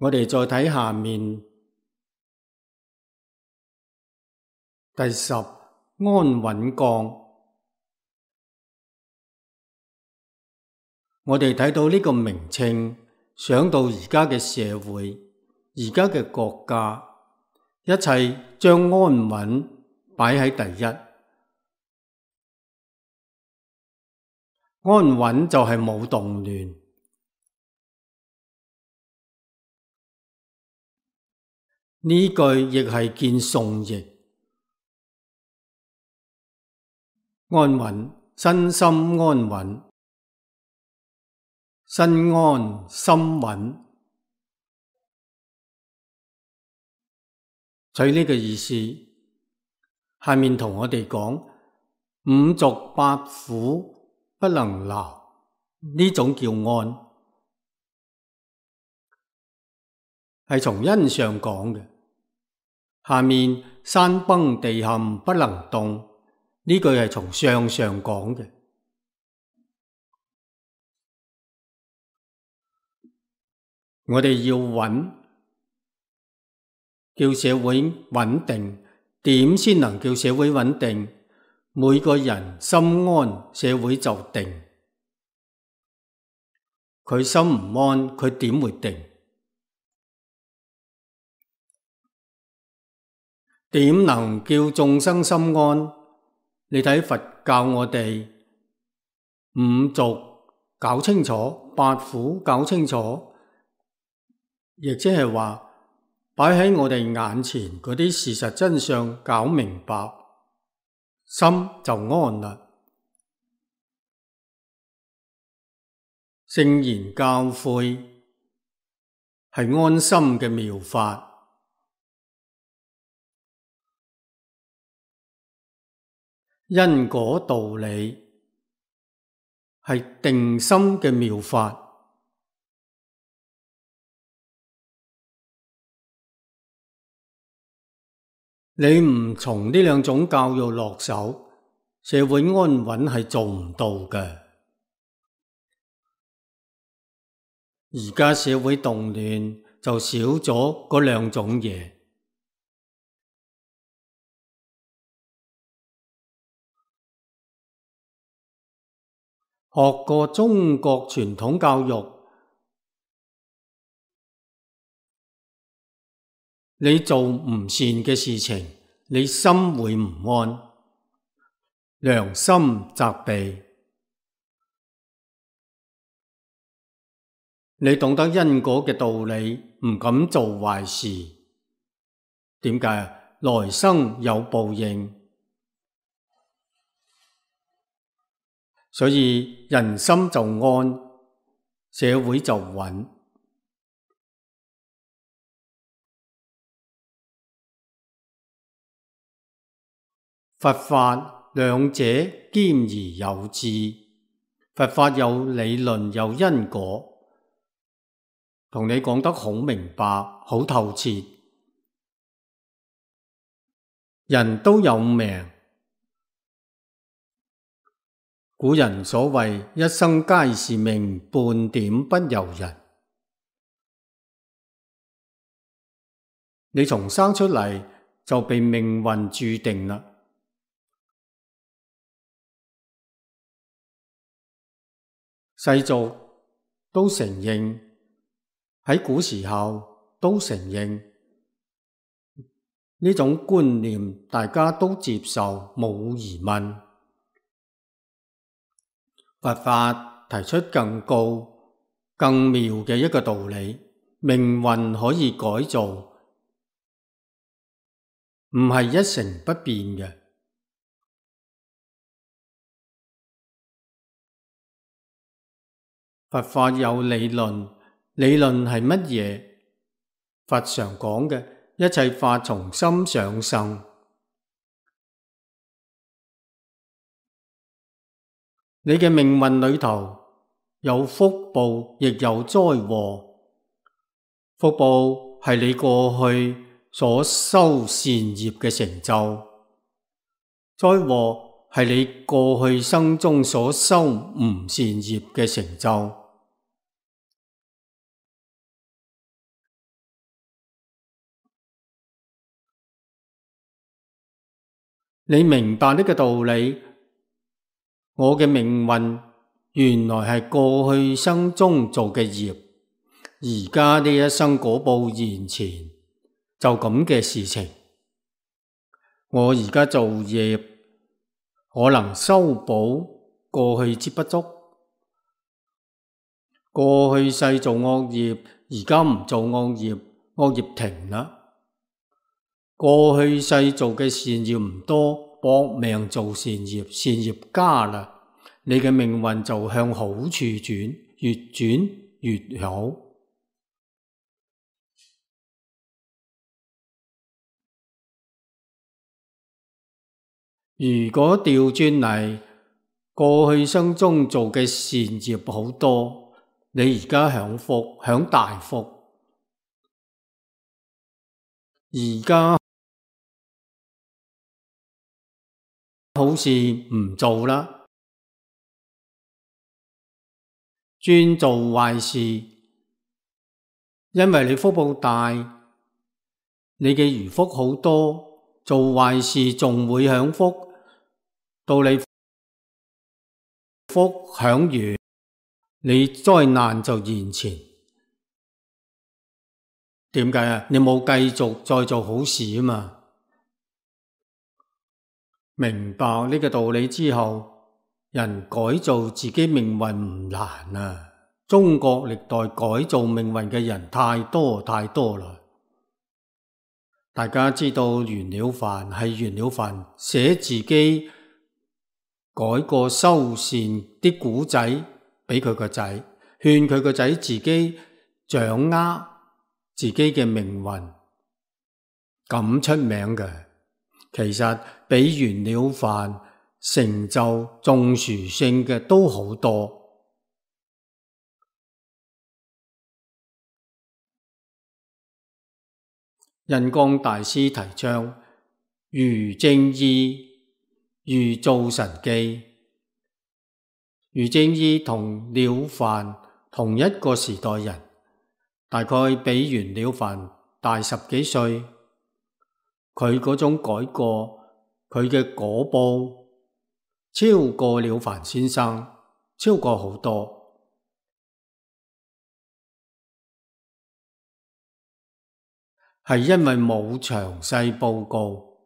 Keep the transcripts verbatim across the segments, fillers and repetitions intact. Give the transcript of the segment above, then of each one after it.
我哋再睇下面第十，安穩降。我哋睇到呢個名稱，想到而家嘅社會，而家嘅國家，一切將安穩擺喺第一。安穩就係冇動亂。呢句亦係見宋譯。安穩，身心安穩，身安心穩，取呢個意思。下面同我哋講，五濁八苦不能勞，呢種叫安，係從因上講嘅。下面山崩地陷不能動，呢句係從相上講嘅。我哋要穩，叫社會穩定，點先能叫社會穩定？每個人心安，社會就定。佢心唔安，佢點會定？點能叫眾生心安？你睇佛教我哋五濁搞清楚，八苦搞清楚，亦即係話擺喺我哋眼前嗰啲事實真相搞明白，心就安啦。聖言教誨係安心嘅妙法。因果道理係定心嘅妙法。你唔從呢兩種教育落手，社會安穩係做唔到嘅。而家社會動亂就少咗嗰兩種嘢。學過中國傳統教育，你做唔善嘅事情，你心會唔安，良心責備。你懂得因果嘅道理，唔敢做壞事。點解？來生有報應。所以人心就安，社會就穩。佛法兩者兼而有致，佛法有理論有因果，同你講得好明白好透徹。人都有命。古人所謂一生皆是命，半點不由人。你從生出嚟就被命運注定啦。世俗都承認，喺古時候都承認呢種觀念，大家都接受，冇疑問。佛法提出更高、更妙嘅一個道理，命運可以改造，唔係一成不變嘅。佛法有理論，理論係乜嘢？佛常講嘅一切法從心想生。你嘅命運裏頭有福報，亦有災禍。福報係你過去所修善業嘅成就，災禍係你過去生中所修唔善業嘅成就。你明白呢個道理，我嘅命運原來係過去生中做嘅業，而家呢一生果報現前，就咁嘅事情。我而家做業，可能修補過去之不足。過去世做惡業，而家唔做惡業，惡業停啦。過去世做嘅善業唔多，搏命做善業，善業加啦，你嘅命運就向好處轉，越轉越好。如果調轉嚟，過去生中做嘅善業好多，你而家享福，享大福，而家好似唔做啦，專做壞事，因為你福報大，你嘅餘福好多，做壞事仲會享福，到你福享完，你災難就現前。點解啊？你冇繼續再做好事啊嘛。明白呢個道理之後，人改造自己命運唔難啊。中國歷代改造命運嘅人太多太多啦。大家知道袁了凡係袁了凡寫自己改過修善啲古仔俾佢個仔，勸佢個仔自己掌握自己嘅命運，咁出名嘅。其實比袁了凡成就仲殊勝嘅都好多。印光大師提倡余正義、余造神記。余正義同了凡同一個時代人，大概比袁了凡大十幾歲。佢嗰種改過，佢嘅果報超過了凡先生，超過好多。係因為冇詳細報告，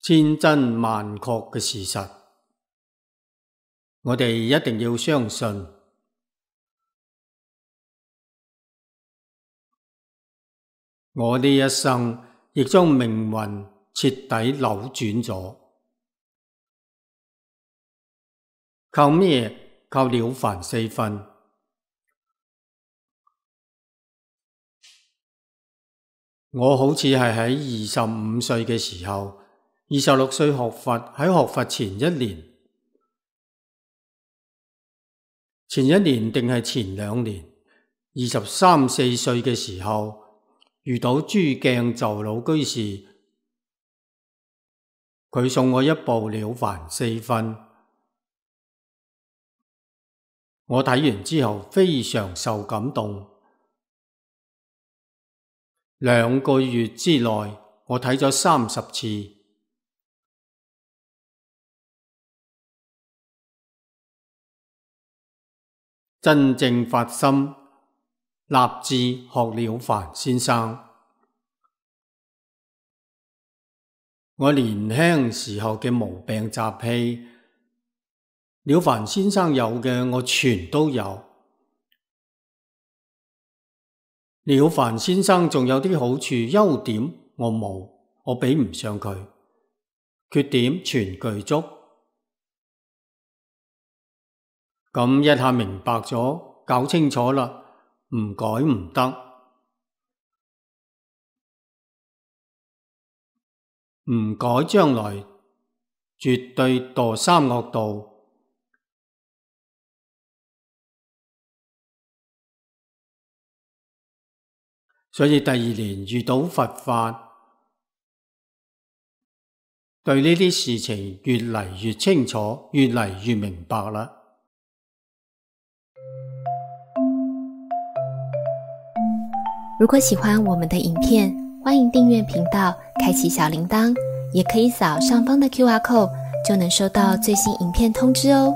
千真萬確嘅事實，我哋一定要相信。我呢一生亦將命運徹底扭轉咗。靠咩？靠了凡四訓。我好似係喺二十五歲嘅時候，二十六歲學佛，喺學佛前一年，前一年定係前兩年，二十三四歲嘅時候，遇到朱鏡就老居士，佢送我一部了凡四訓，我睇完之後非常受感動。兩個月之內，我睇咗三十次。真正發心，立志學了凡先生。我年輕時候嘅毛病習氣，了凡先生有嘅，我全都有。了凡先生仲有啲好處，優點我冇，我比唔上佢，缺點全具足。咁一下明白咗，搞清楚啦，唔改唔得，唔改將來絕對墮三惡道。所以第二年遇到佛法，對呢啲事情越嚟越清楚，越嚟越明白啦。如果喜歡我們的影片，欢迎订阅频道，开启小铃铛，也可以扫上方的 Q R code， 就能收到最新影片通知哦。